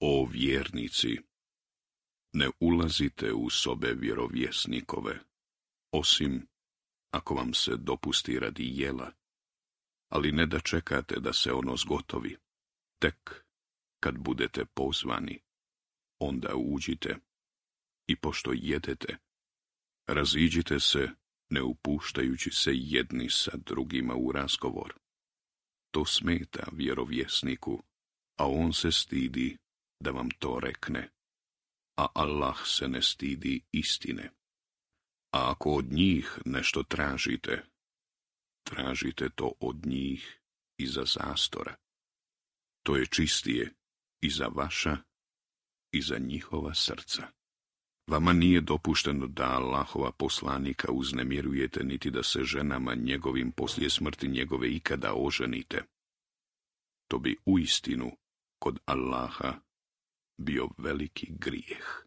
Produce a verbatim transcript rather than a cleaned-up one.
O vjernici, ne ulazite u sobe vjerovjesnikove, osim ako vam se dopusti radi jela, ali ne da čekate da se ono zgotovi. Tek kad budete pozvani, onda uđite i pošto jedete, raziđite se ne upuštajući se jedni sa drugima u razgovor. To smeta vjerovjesniku, a on se stidi da vam to rekne, a Allah se ne stidi istine. A ako od njih nešto tražite, tražite to od njih iza zastora. To je čistije i za vaša i za njihova srca. Vama nije dopušteno da Allahova poslanika uznemirujete, niti da se ženama njegovim poslije smrti njegove ikada oženite. To bi uistinu kod Allaha bio veliki grijeh.